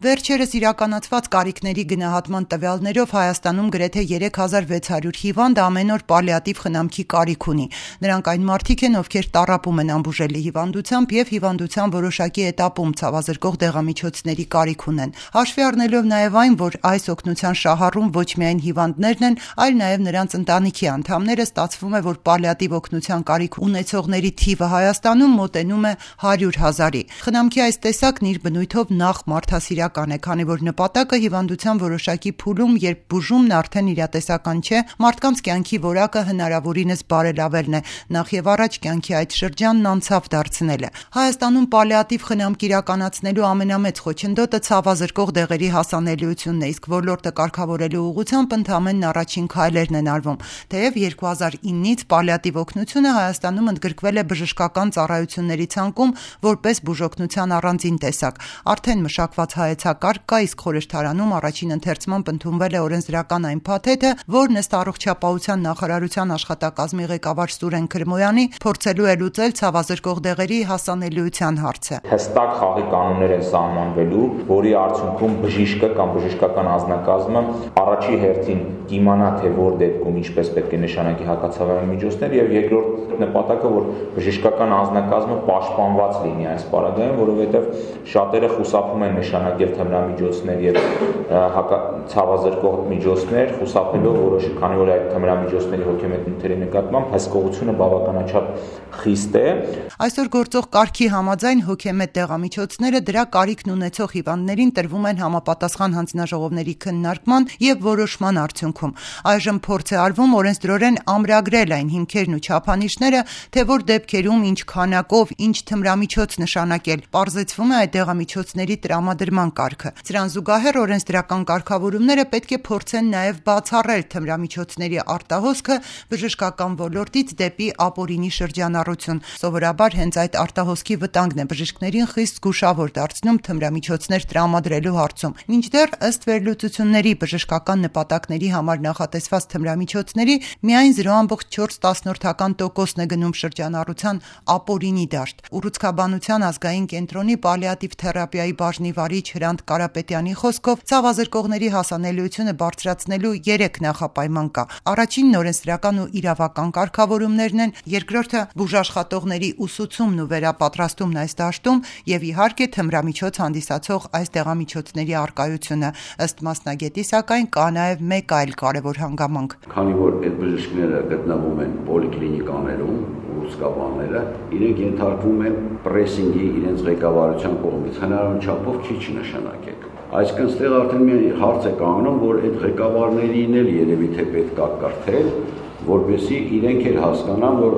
Վերջերս իրականացված կարիքների գնահատման տվյալներով Հայաստանում գրեթե 3600 հիվանդ ամեն օր պալիատիվ խնամքի կարիք ունի։ Նրանք այն մարդիկ են, ովքեր տառապում են անբուժելի հիվանդությամբ եւ հիվանդության որոշակի էտապում ցավազրկող դեղամիջոցների կարիք ունեն։ Հաշվի առնելով նաեւ այն, որ այս օգնության շահառում ոչ միայն հիվանդներն են, այլ նաեւ նրանց ընտանիքի անդամները, ստացվում է, որ պալիատիվ օգնության կարիք ունեցողների թիվը Հայաստանում մոտենում է 100 000-ի։ Խնամքի այս տեսակն իր բնույթով նախ մարդասիրական է, քանի որ նպատակը հիվանդության որոշակի փուլում, երբ բուժումն արդեն իրատեսական չէ, մարդկանց կյանքի որակը հնարավորինս բարելավելն է, նախ եւ առաջ կյանքի այդ շրջանն անցավ դարձնելը։ Հայաստանում պալիատիվ խնամք իրականացնելու ամենամեծ խոչընդոտը ցավազրկող դեղերի հասանելիությունն է, իսկ ոլորտը կարգավորելու ուղղությամբ ընդամենն առաջին քայլերն են արվում։ Թեև 2009-ից պալիատիվ օգնությունը Հայաստանում ընդգրկվել է բժշկական ծառայությունների ցանկում որպես բուժօգնության առանձին տեսակ։ Արդեն մշակված հայեցակարգ կա, իսկ խորհրդարանում առաջին ընթերցմամբ ընդունվել է օրենսդրական այն փաթեթը, որն ըստ Առողջապահության նախարարության աշխատակազմի ղեկավար Սուրեն Քրմոյանի փորձելու է լուծել ցավազրկող դեղերի հասանելիության հարցը։ Հստակ խաղի կանոններ են սահմանվելու, որի արդյունքում բժիշկը կամ բժշկական անձնակազմը առաջի հերթին կիմանա, թե որ դեպքում ինչպես պետք է նշանակի հակացավային միջոցներ, եւ երկրորդ նպատակը, որ բժշկական անձնակազմը պաշտպանված լինի այս պարագայում, որովհետեւ շատերը խուսափում են նշանակել թմրամիջոցներ եւ ցավազրկող միջոցներ, խուսափելով որոշ, քանի որ այդ թմրամիջոցների հոգեմետ նյութերի նկատմամբ հսկողությունը բավականաչափ խիստ է։ Այսօր գործող կարգի համաձայն հոգեմետ դեղամիջոցները դրա կարիքն ունեցող հիվանդներին տրվում են համապատասխան հանձնաժողովների քննարկման եւ որոշման արդյունքում։ Այժմ փորձ է արվում օրենսդրորեն ամրագրել այն հիմքերն ու չափանիշները, թե որ դեպքերում ինչ քանակով, ինչ թմրամիջոց նշանակել։ Պարզեցվում է այդ դեղամիջոցների տրամադրման կարգը։ Սրան զուգահեռ օրենսդրական կարգավորումները պետք է փորձեն նաեւ բացառել թմրամիջոցների արտահոսքը բժշկական ոլորտից դեպի ապօրինի շրջանառություն։ Սովորաբար հենց այդ արտահոսքի վտանգն է բժիշկներին խիստ զգուշավոր դարձնում թմրամիջոցներ տրամադրելու հարցում։ Մինչդեռ ըստ վերլուծությունների բժշկական նպատակների համար նախատեսված թմրամիջոցների միայն 0.4% է գնում շրջանառության ապօրինի դաշտ։ Ուռուցքաբանության ազգային կենտրոնի պալիատիվ թերապիայի բաժնի վարիչ Հրանտ Կարապետյանի խոսքով ցավազրկողների հասանելիությունը բարձրացնելու 3 նախապայման կա։ Առաջինն օրենսդրական ու իրավական կարգավորումներն են, երկրորդը բուժաշխատողների ուսուցումն ու վերապատրաստումն այս դաշտում եւ իհարկե թմրամիջոց հանդիսացող այս դեղամիջոցների առկայությունը։ Ըստ մասնագետի սակայն կա նաեւ մեկ այլ կարևոր հանգամանք։ Քանի որ այդ բժիշկները գտնվում են պոլիկլինիկաներում, ուռուցքաբանները, իրենք ենթարկվում են պրեսինգի իրենց ղեկավարության կողմից հնարավոր չափով քիչ նշանակել։ Այսինքն ստեղ արդեն մի հարց է կանգնում, որ այդ ղեկավարներին էլ երևի թե պետք է կարդել, որպեսզի իրենք էլ հասկանան, որ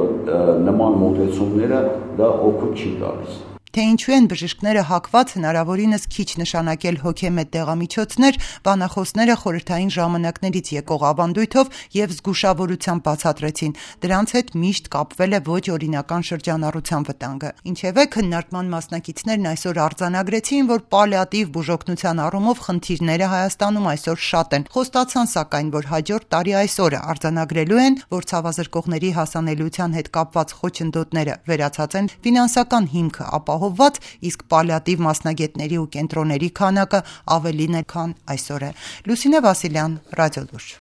նման մոտեցումները դա օգուտ չի տալիս։ Թե ինչու են բժիշկները հակված հնարավորինս քիչ նշանակել հոգեմետ դեղամիջոցներ, բանախոսները խորհրդային ժամանակներից եկող ավանդույթով եւ զգուշավորությամբ բացատրեցին։ Դրանց հետ միշտ կապվել է ոչ օրինական շրջանառության վտանգը։ Ինչևէ, քննարկման մասնակիցներն այսօր արձանագրեցին, որ պալիատիվ բուժօգնության առումով խնդիրները Հայաստանում այսօր շատ են։ Խոստացան սակայն, որ հաջորդ տարի այսօրը արձանագրելու են, որ ցավազրկողների հասանելիության հետ կապված խոչընդոտները վերացած են, ֆինանսական հիմքը ապահովված, իսկ պալիատիվ մասնագետների ու կենտրոնների քանակը ավելին է, քան այսօր է։ Լուսինե Վասիլյան, Ռադիոլուր։